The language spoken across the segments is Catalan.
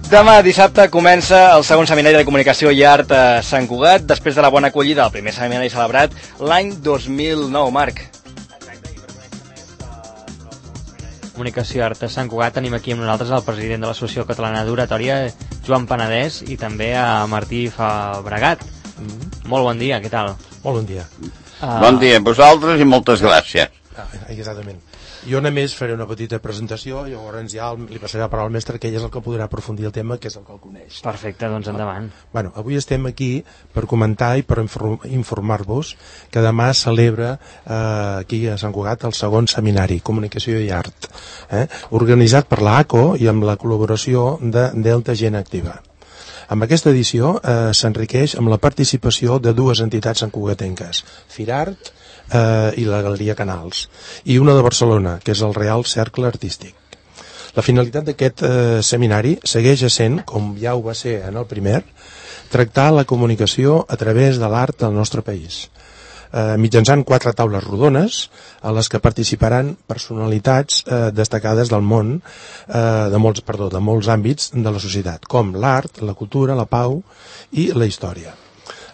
Demà dissabte comença el segon seminari de comunicació i art a Sant Cugat, després de la bona acollida del primer seminari celebrat l'any 2009, Marc. Comunicació i art a Sant Cugat tenim aquí amb nosaltres el president de l'Associació Catalana d'Oratòria, Joan Penedès, i també a Martí Fabregat. Molt bon dia, què tal? Molt bon dia. Bon dia a vosaltres i moltes gràcies. Exactament. Jo només faré una petita presentació i llavors ja li passaré la paraula al mestre, que ell és el que podrà aprofundir el tema, que és el que el coneix. Perfecte, doncs endavant. Bueno, avui estem aquí per comentar i per informar-vos que demà celebra aquí a Sant Cugat el segon seminari Comunicació i Art, organitzat per l'ACO i amb la col·laboració de Delta Gent Activa. Amb aquesta edició s'enriqueix amb la participació de dues entitats santcugatenques, Firart i la Galeria Canals, i una de Barcelona, que és el Real Cercle Artístic. La finalitat d'aquest seminari segueix essent, com ja ho va ser en el primer, tractar la comunicació a través de l'art del nostre país, mitjançant 4 taules rodones a les que participaran personalitats destacades del món, de molts àmbits de la societat, com l'art, la cultura, la pau i la història.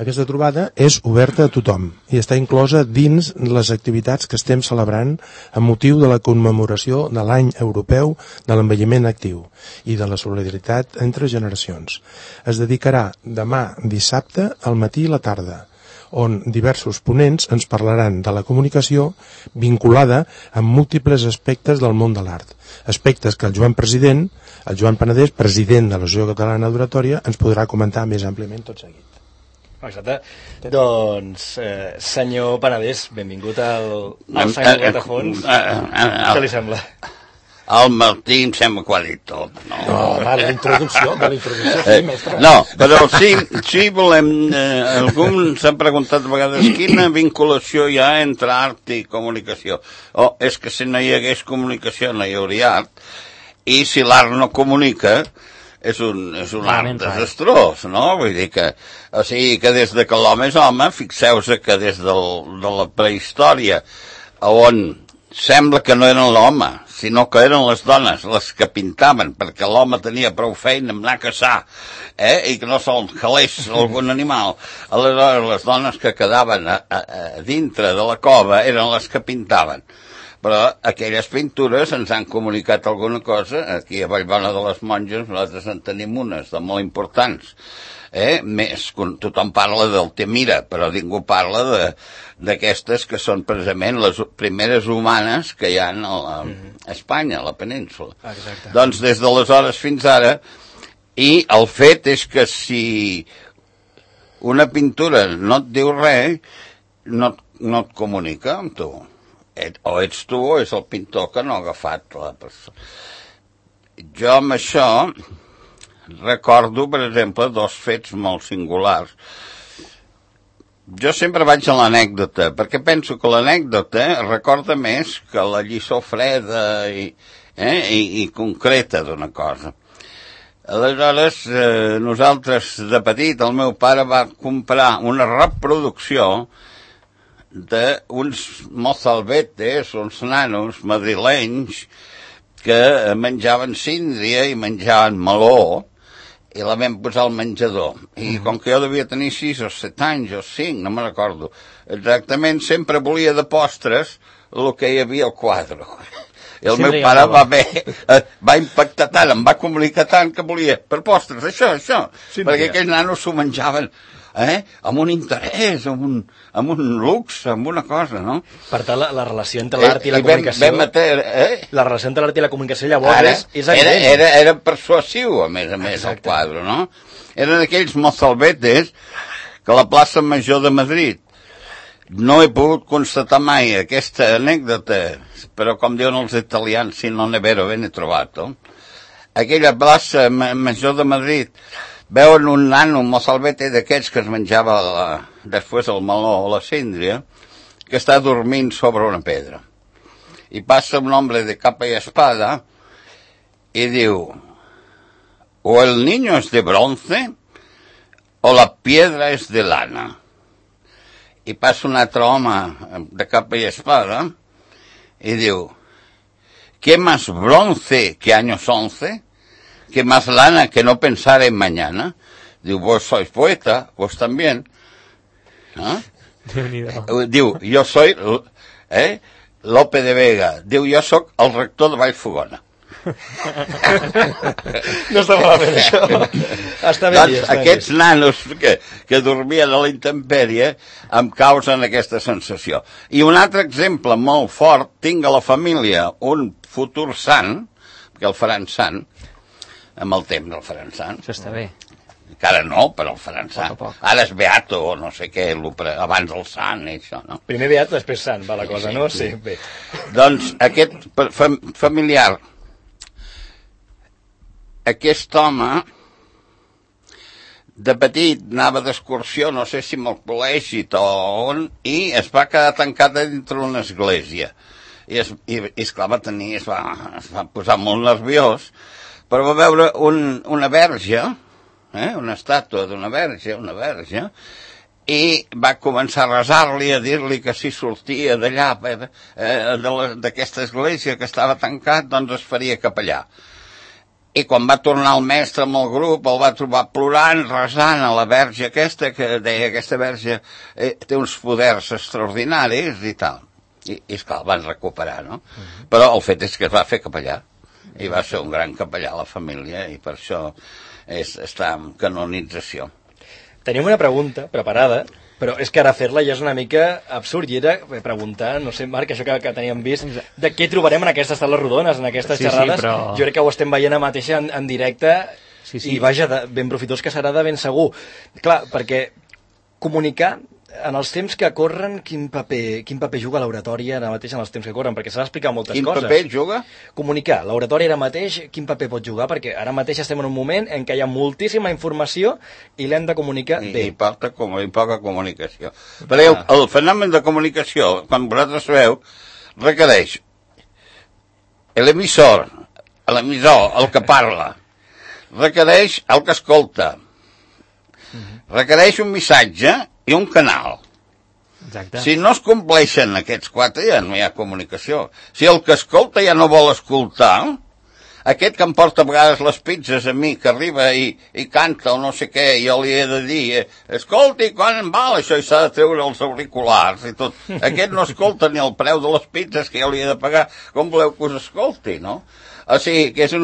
Aquesta trobada és oberta a tothom i està inclosa dins les activitats que estem celebrant amb motiu de la commemoració de l'any europeu de l'envelliment actiu i de la solidaritat entre generacions. Es dedicarà demà dissabte al matí i la tarda, on diversos ponents ens parlaran de la comunicació vinculada amb múltiples aspectes del món de l'art, aspectes que el Joan Penedès, president de l'Associació Catalana d'Oratòria, ens podrà comentar més àmpliament tot seguit. Exacte. Doncs, senyor Penedès, benvingut al Sant Cugat a fons. Què li sembla? El Martí em sembla que ho ha dit tot, no? No, va, la introducció, sí, mestre. No, però sí volem... Algú s'ha preguntat a vegades quina vinculació hi ha entre art i comunicació. És que si no hi hagués comunicació no hi hauria art, i si l'art no comunica és un art desastrós, no? Vull dir que, o sigui, que des de que l'home és home, fixeu-vos que des de la prehistòria, on sembla que no eren l'home, sinó que eren les dones les que pintaven, perquè l'home tenia prou feina amb anar a caçar, i que no se'l calés algun animal. Aleshores, les dones que quedaven a dintre de la cova eren les que pintaven. Però aquelles pintures ens han comunicat alguna cosa. Aquí a Vallbona de les Monges nosaltres en tenim unes de molt importants. Tothom parla del Temira, però ningú parla d'aquestes que són precisament les primeres humanes que hi ha a Espanya, a la península. Exacte. Doncs des d'aleshores fins ara, i el fet és que si una pintura no et diu res, no et comunica amb tu. O ets tu o és el pintor que no ha agafat la persona. Jo amb això recordo, per exemple, 2 fets molt singulars. Jo sempre vaig a l'anècdota, perquè penso que l'anècdota recorda més que la lliçó freda i concreta d'una cosa. Aleshores, nosaltres de petit, el meu pare va comprar una reproducció d'uns mozalbetes, uns nanos madrilenys que menjaven síndria i menjaven meló, i la vam posar al menjador. I com que jo devia tenir 6 o 7 anys o 5, no me'n recordo exactament, sempre volia de postres el que hi havia al quadre. I el meu pare va impactar tant, em va comunicar tant que volia per postres, això, perquè aquells nanos s'ho menjaven amb un interès, amb un lux, amb una cosa, no? Per tant, la relació entre l'art i la comunicació... La relació entre l'art i la comunicació llavors és evident. Era persuasiu, a més, el quadre, no? Eren aquells mozalbetes que a la plaça Major de Madrid. No he pogut constatar mai aquesta anècdota, però com diuen els italians, si non è vero, ben trovato. Aquella plaça Major de Madrid... Veuen un nano, un mozalbete d'aquests que es menjava després el meló o la síndria, que està dormint sobre una pedra. I passa un home de capa i espada i diu: o el niño es de bronce o la piedra es de lana. I passa un altre home de capa i espada i diu: ¿qué más bronce que años 11? que más lana que no pensar en mañana. Diu, vos sois poeta, vos también. ¿No? Diu, jo soy Lope de Vega. Diu, jo sóc el rector de Vallfogona. No està malament, això. Està bé. Doncs aquests nanos que dormien a la intempèrie em causen aquesta sensació. I un altre exemple molt fort, tinc a la família un futur sant, que el faran sant, amb el temps el faran sant. Això està bé. Encara no, però el faran sant. Ara és beato o no sé què, abans el sant i això, no? Primer beat, després sant, va la cosa, no? Sí, bé. Doncs aquest familiar, aquest home, de petit anava d'excursió, no sé si amb el col·legi o on, i es va quedar tancat dintre d'una església. I esclar, es va posar molt nerviós, però va veure una verge, una estàtua d'una verge, i va començar a resar-li, a dir-li que si sortia d'allà, d'aquesta església que estava tancat, doncs es faria capellà. I quan va tornar el mestre amb el grup, el va trobar plorant, resant a la verge aquesta, que deia que aquesta verge té uns poders extraordinaris i tal. I esclar, el van recuperar, no? Però el fet és que es va fer capellà, i va ser un gran capellà a la família, i per això està en canonització. Tenim una pregunta preparada, però és que ara fer-la ja és una mica absurd, i era preguntar, no sé, Marc, això que teníem vist, de què trobarem en aquestes taules rodones, en aquestes xerrades. Sí, però... Jo crec que ho estem veient a mateixa en directe, sí. I vaja, ben profitós que serà de ben segur. Clar, perquè comunicar en els temps que corren, quin paper juga l'oratòria ara mateix en els temps que corren? Perquè s'ha d'explicar moltes coses. Quin paper juga? Comunicar. L'oratòria ara mateix, quin paper pot jugar? Perquè ara mateix estem en un moment en què hi ha moltíssima informació i l'hem de comunicar bé. I poca comunicació. Perquè el fenomen de comunicació, quan vosaltres sabeu, requereix l'emissor, el que parla, requereix el que escolta, requereix un missatge i un canal. Exacte. Si no es compleixen aquests quatre, ja no hi ha comunicació. Si el que escolta ja no vol escoltar, aquest que em porta a vegades les pizzas a mi, que arriba i canta o no sé què, i jo li he de dir, escolti, quan em val això, i s'ha de treure els auriculars i tot. Aquest no escolta ni el preu de les pizzas que jo li he de pagar. Com voleu que us escolti, no? O sigui, que és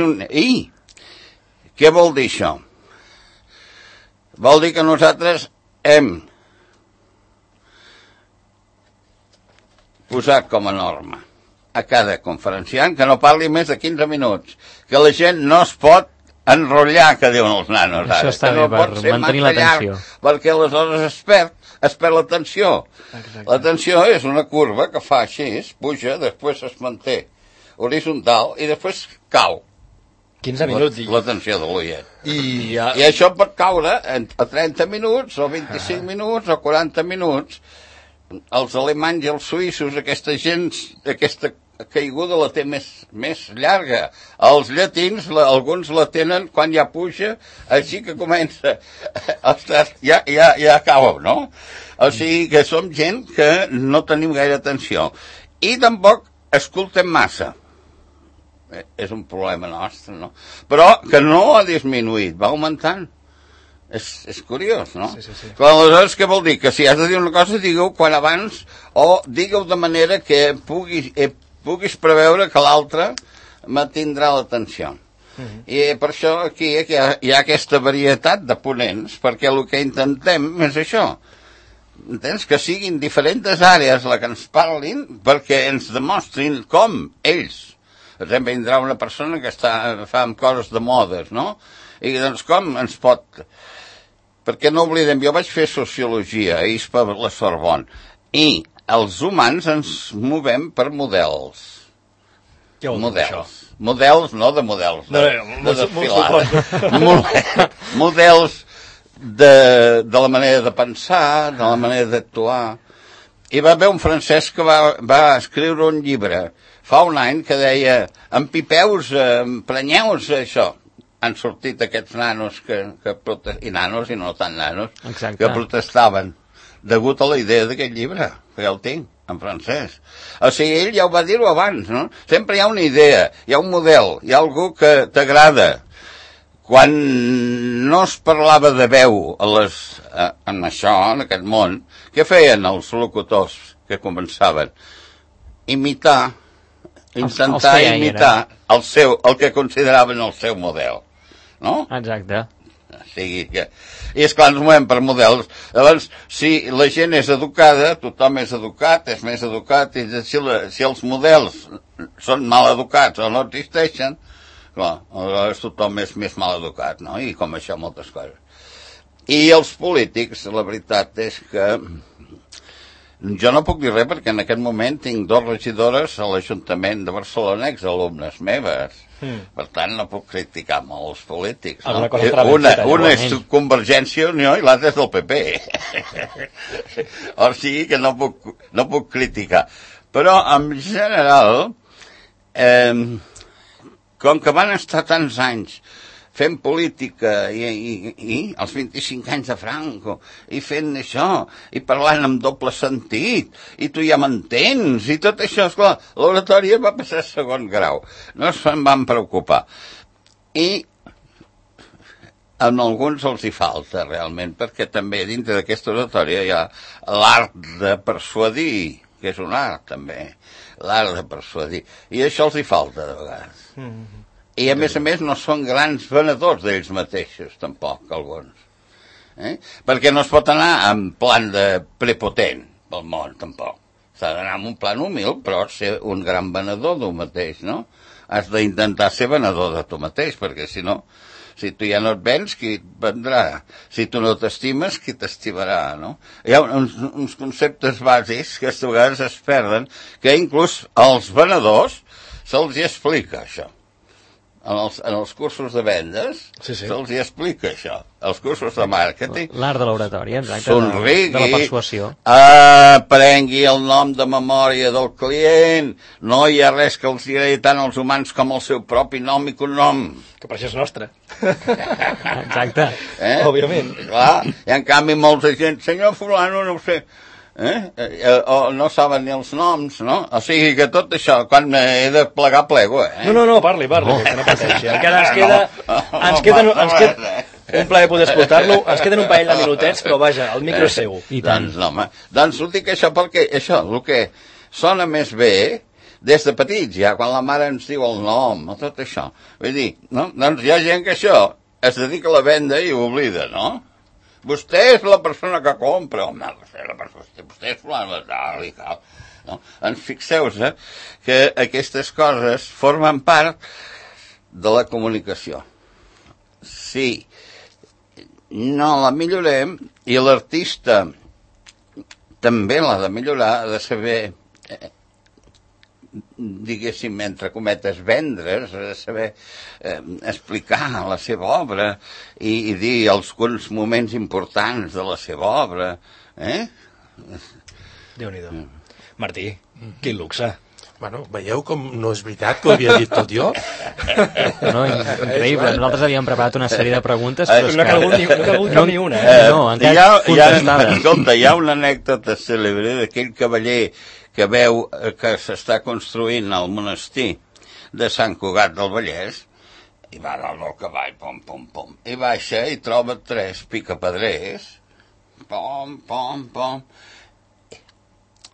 un... I què vol dir això? Vol dir que nosaltres hem posat com a norma a cada conferenciant que no parli més de 15 minuts, que la gent no es pot enrotllar, que diuen els nanos ara. Això està bé, per mantenir l'atenció. Perquè aleshores es perd l'atenció. L'atenció és una curva que fa així, puja, després es manté horitzontal i després cau. 15 minuts. L'atenció de l'oient. I això pot caure a 30 minuts, o 25 minuts, o 40 minuts. Els alemanys i els suïssos, aquesta gent, aquesta caiguda la té més llarga. Els llatins, alguns la tenen quan ja puja, així que comença. Ostres, ja cau, no? O sigui que som gent que no tenim gaire atenció. I tampoc escoltem massa. És un problema nostre, no? Però que no ha disminuït, va augmentant. És curiós, no? Sí. Però aleshores què vol dir? Que si has de dir una cosa, digue-ho quan abans, o digue-ho de manera que puguis preveure que l'altre mantindrà l'atenció. I per això aquí hi ha aquesta varietat de ponents, perquè el que intentem és això. Entens? Que siguin diferents àrees la que ens parlin, perquè ens demostrin com ells. Per exemple, vindrà una persona que fa amb coses de modes, no? I doncs com ens pot... Perquè no oblidem, jo vaig fer sociologia a ISPA a la Sorbonne, i els humans ens movem per models. Què vol dir això? Models, no de models, de desfilada. Models de la manera de pensar, de la manera d'actuar. I va haver un francès que va escriure un llibre fa un any que deia empipeus, emprenyeu-vos això. Han sortit aquests nanos i nanos i no tan nanos, exacte, que protestaven degut a la idea d'aquest llibre, que ja el tinc. en francès. O sigui, ell ja ho va dir-ho abans, no? Sempre hi ha una idea, hi ha un model, hi ha algú que t'agrada. Quan no es parlava de veu en això, en aquest món, què feien els locutors que començaven? Intentar imitar el que consideraven el seu model, no? Exacte. O sigui que... I esclar, ens movem per models. Llavors, si la gent és educada, tothom és educat, és més educat, i si els models són mal educats o no existeixen, clar, aleshores tothom és més mal educat, no? I com això moltes coses. I els polítics, la veritat és que jo no puc dir res perquè en aquest moment tinc 2 regidores a l'Ajuntament de Barcelona, exalumnes meves. Per tant, no puc criticar molt els polítics. No? Una és Convergència i Unió i l'altra és del PP. O sigui que no puc criticar. Però, en general, com que van estar tants anys fent política i els 25 anys de Franco i fent això i parlant amb doble sentit i tu ja m'entens i tot això, esclar, l'oratòria va passar a segon grau, no se'n van preocupar i en alguns els hi falta realment, perquè també dintre d'aquesta oratòria hi ha l'art de persuadir, que és un art també, l'art de persuadir, i això els hi falta de vegades. I a més no són grans venedors d'ells mateixos, tampoc, alguns. Perquè no es pot anar en plan de prepotent pel món, tampoc. S'ha d'anar en un plan humil, però ser un gran venedor d'un mateix, no? Has d'intentar ser venedor de tu mateix, perquè si no, si tu ja no et vens, qui et vendrà? Si tu no t'estimes, qui t'estimarà, no? Hi ha uns conceptes bàsics que a vegades es perden, que inclús als venedors se'ls hi explica, això. En els cursos de vendes se'ls hi explica això. Els cursos de màrqueting. L'art de l'oratòria, exacte. Somrigui, de la persuasió. Prengui el nom de memòria del client. No hi ha res que els agradi tant als humans com el seu propi nom i cognom. Que per això és nostre. Exacte. Òbviament. Clar, i en canvi molta gent, senyor fulano, no ho sé, o no saben ni els noms, no? O sigui que tot això, quan he de plegar, plego, No, parli, que no pateixi. Encara ens queda un plaer poder escoltar-lo, ens queden un parell de minutets, però vaja, el micro és seu. Doncs ho dic això perquè això, el que sona més bé, des de petits ja, quan la mare ens diu el nom, tot això, vull dir, no? Doncs hi ha gent que això es dedica a la venda i ho oblida, no? Vostè és la persona que compra, home, vostè és tal i tal. No? Fixeu-vos que aquestes coses formen part de la comunicació. Si no la millorem, i l'artista també l'ha de millorar, ha de saber, diguéssim, entre cometes, vendre's, saber explicar la seva obra i dir alguns moments importants de la seva obra. Déu-n'hi-do. Martí, quin luxe. Bueno, veieu com no és veritat que ho havia dit tot jo? No, increïble. Nosaltres havíem preparat una sèrie de preguntes, però no ha calgut ni una. No, encara contestades. Escolta, hi ha una anècdota cèlebre d'aquell cavaller que veu que s'està construint al monestir de Sant Cugat del Vallès, i va dalt del cavall, pom, i baixa i troba 3 picapedrers, pom,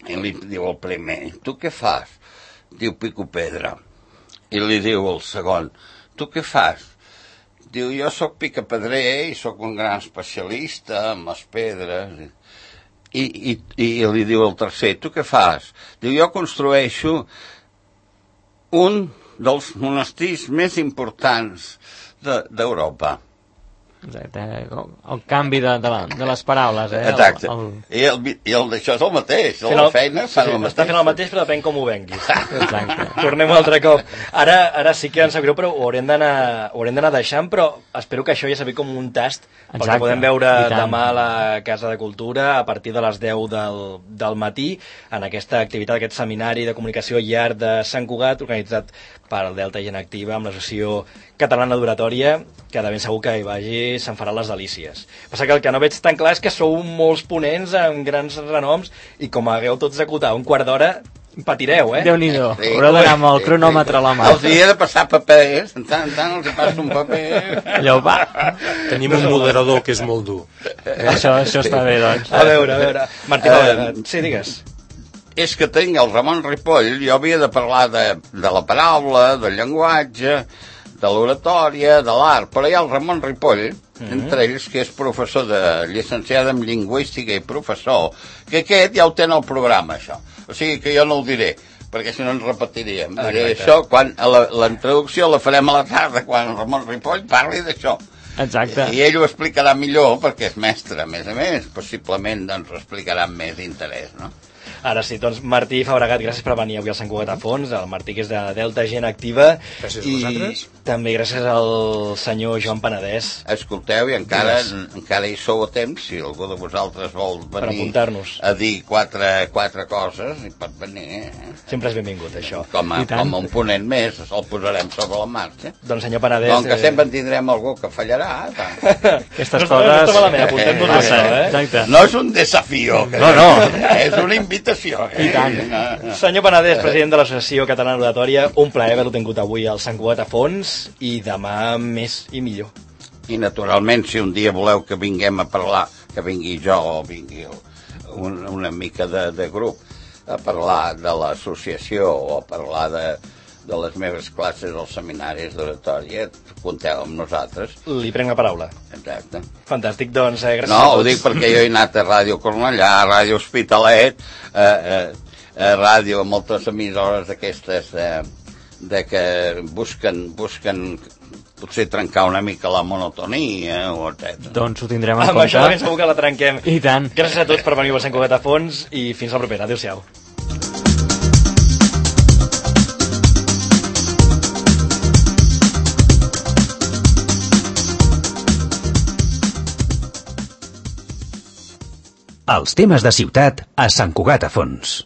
i li diu el primer, tu què fas? Diu, pico pedra. I li diu el segon, tu què fas? Diu, jo sóc picapedrer i sóc un gran especialista en les pedres. I li diu el tercer, tu què fas? Diu, jo construeixo un dels monestirs més importants d'Europa. Exacte, el canvi de les paraules, Exacte. I el d'això és el mateix, la feina fa el mateix. Està fent el mateix, però depèn com ho venguis. Exacte. Tornem un altre cop. Ara sí que ens sap greu, però ho haurem d'anar deixant, però espero que això ja s'ha vist com un tast, perquè podem veure demà a la Casa de Cultura, a partir de les 10 del matí, en aquesta activitat, aquest seminari de comunicació i art de Sant Cugat, organitzat per el Delta Gent Activa, amb l'Associació Catalana d'Oratòria. que de ben segur que hi vagi se'n farà les delícies. Passa que el que no veig tan clar és que sou molts ponents amb grans renoms i com hagueu tots d'acotar un quart d'hora patireu, Déu-n'hi-do, haureu d'anar amb el cronòmetre a la mà. Els hi he de passar papers, en tant els hi passo un paper. Allò, va. Tenim un moderador que és molt dur. Això està bé, doncs. A veure. Martí, sí, digues. És que tinc el Ramon Ripoll, jo havia de parlar de la paraula, del llenguatge, de l'oratòria, de l'art, però hi ha el Ramon Ripoll, entre ells, que és professor llicenciat en lingüística i professor, que aquest ja ho té en el programa, això. O sigui que jo no ho diré, perquè si no ens repetiríem. Diré això, quan la introducció la farem a la tarda, quan el Ramon Ripoll parli d'això. Exacte. I ell ho explicarà millor, perquè és mestre, a més, possiblement doncs, ho explicarà amb més interès, no? Ara sí, doncs Martí Fabregat, gràcies per venir avui al Sant Cugat a Fons, el Martí que és de Delta Gent Activa. Gràcies a vosaltres. I també gràcies al senyor Joan Penedès. Escolteu, i encara hi sou a temps, si algú de vosaltres vol venir a dir quatre coses, hi pot venir. Sempre és benvingut, això. Com un ponent més, el posarem sobre la marxa. Doncs senyor Penedès... Com que sempre en tindrem algú que fallarà. Aquestes coses... No està malament, apuntem-nos això, No és un desafío. No. És una invitació. I tant. Senyor Penedès, president de l'Associació Catalana Oratòria, un plaer haver-lo tingut avui al Sant Cugat a Fons i demà més i millor. I naturalment, si un dia voleu que vinguem a parlar, que vingui jo o vingui una mica de grup a parlar de l'associació o a parlar de les meves classes als seminaris d'oratòria, compteu amb nosaltres. Li prenc la paraula. Exacte. Fantàstic, doncs gràcies a tots. No, ho dic perquè jo he anat a Ràdio Cornellà, a Ràdio Hospitalet, a ràdio, a moltes emissores d'aquestes de que busquen potser trencar una mica la monotonia, etc. Doncs ho tindrem en compte. Amb això ben segur que la trenquem. I tant. Gràcies a tots per venir al Sant Cugat a Fons i fins la propera. Adéu-siau. Els temes de ciutat a Sant Cugat a Fons.